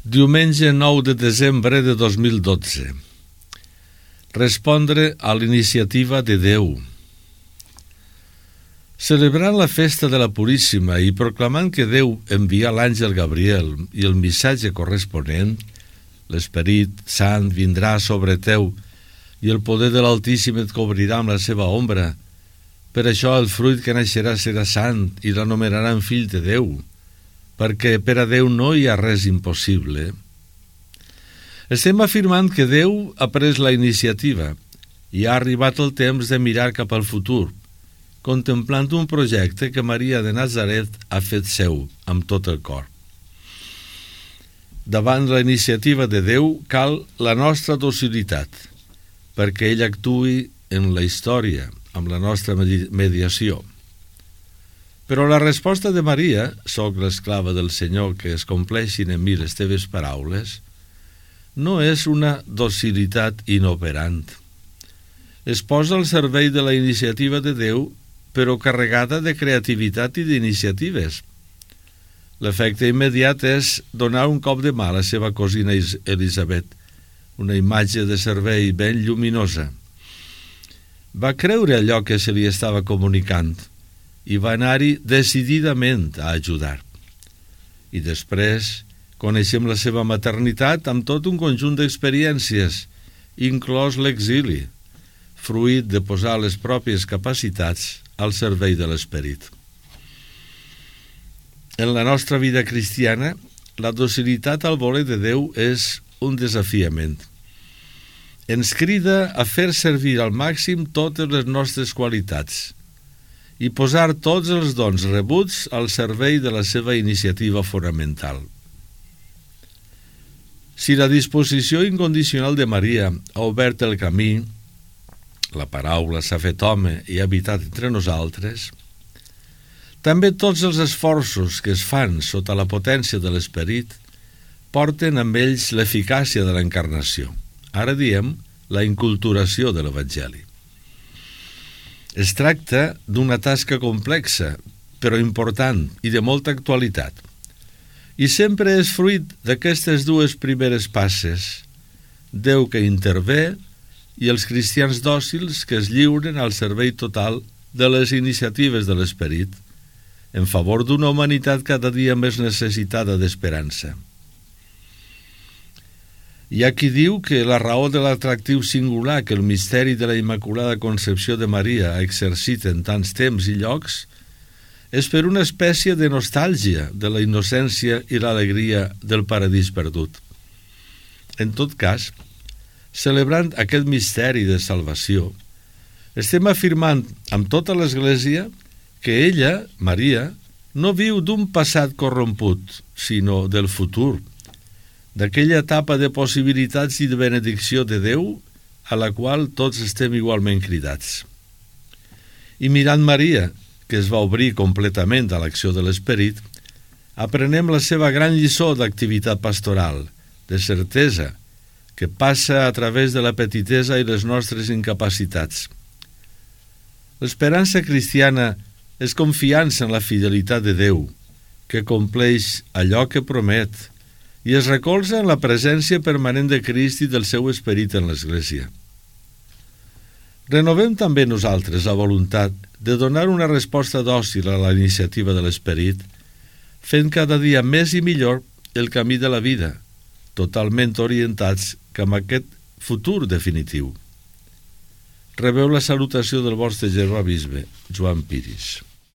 Diumenge 9 de desembre de 2012. Respondre a l'iniciativa de Déu. Celebrant la festa de la Puríssima i proclamant que Déu envia l'àngel Gabriel i el missatge corresponent, l'Esperit Sant vindrà sobre teu i el poder de l'Altíssim et cobrirà amb la seva ombra. Per això el fruit que naixerà serà sant i l'anomenaran fill de Déu, perquè per a Déu no hi ha res impossible. Estem afirmant que Déu ha pres la iniciativa i ha arribat el temps de mirar cap al futur, contemplant un projecte que Maria de Nazaret ha fet seu amb tot el cor. Davant la iniciativa de Déu cal la nostra docilitat, perquè ell actuï en la història amb la nostra mediació. Però la resposta de Maria, «Soc l'esclava del Senyor, que es compleixin en mi les teves paraules», no és una docilitat inoperant. Es posa al servei de la iniciativa de Déu, però carregada de creativitat i d'iniciatives. L'efecte immediat és donar un cop de mà a la seva cosina Elisabet, una imatge de servei ben lluminosa. Va creure allò que se li estava comunicant i va anar-hi decididament a ajudar. I després coneixem la seva maternitat amb tot un conjunt d'experiències, inclòs l'exili, fruit de posar les pròpies capacitats al servei de l'Esperit. En la nostra vida cristiana, la docilitat al voler de Déu és un desafiament. Ens crida a fer servir al màxim totes les nostres qualitats i posar tots els dons rebuts al servei de la seva iniciativa fonamental. Si la disposició incondicional de Maria ha obert el camí, la paraula s'ha fet home i ha habitat entre nosaltres, també tots els esforços que es fan sota la potència de l'Esperit porten amb ells l'eficàcia de l'encarnació. Ara diem la inculturació de l'Evangeli. Es tracta d'una tasca complexa, però important i de molta actualitat. I sempre és fruit d'aquestes dues primeres passes, Déu que intervé i els cristians dòcils que es lliuren al servei total de les iniciatives de l'Esperit, en favor d'una humanitat cada dia més necessitada d'esperança. Hi ha qui diu que la raó de l'atractiu singular que el misteri de la Immaculada Concepció de Maria ha exercit en tants temps i llocs és per una espècie de nostàlgia de la innocència i l'alegria del paradís perdut. En tot cas, celebrant aquest misteri de salvació, estem afirmant amb tota l'Església que ella, Maria, no viu d'un passat corromput, sinó del futur, d'aquella etapa de possibilitats i de benedicció de Déu a la qual tots estem igualment cridats. I mirant Maria, que es va obrir completament a l'acció de l'Esperit, aprenem la seva gran lliçó d'activitat pastoral, de certesa, que passa a través de la petitesa i les nostres incapacitats. L'esperança cristiana és confiança en la fidelitat de Déu, que compleix allò que promet, i es recolza en la presència permanent de Crist i del seu Esperit en l'Església. Renovem també nosaltres la voluntat de donar una resposta dòcil a la iniciativa de l'Esperit, fent cada dia més i millor el camí de la vida, totalment orientats cap a aquest futur definitiu. Rebeu la salutació del vostre germà bisbe, Joan Piris.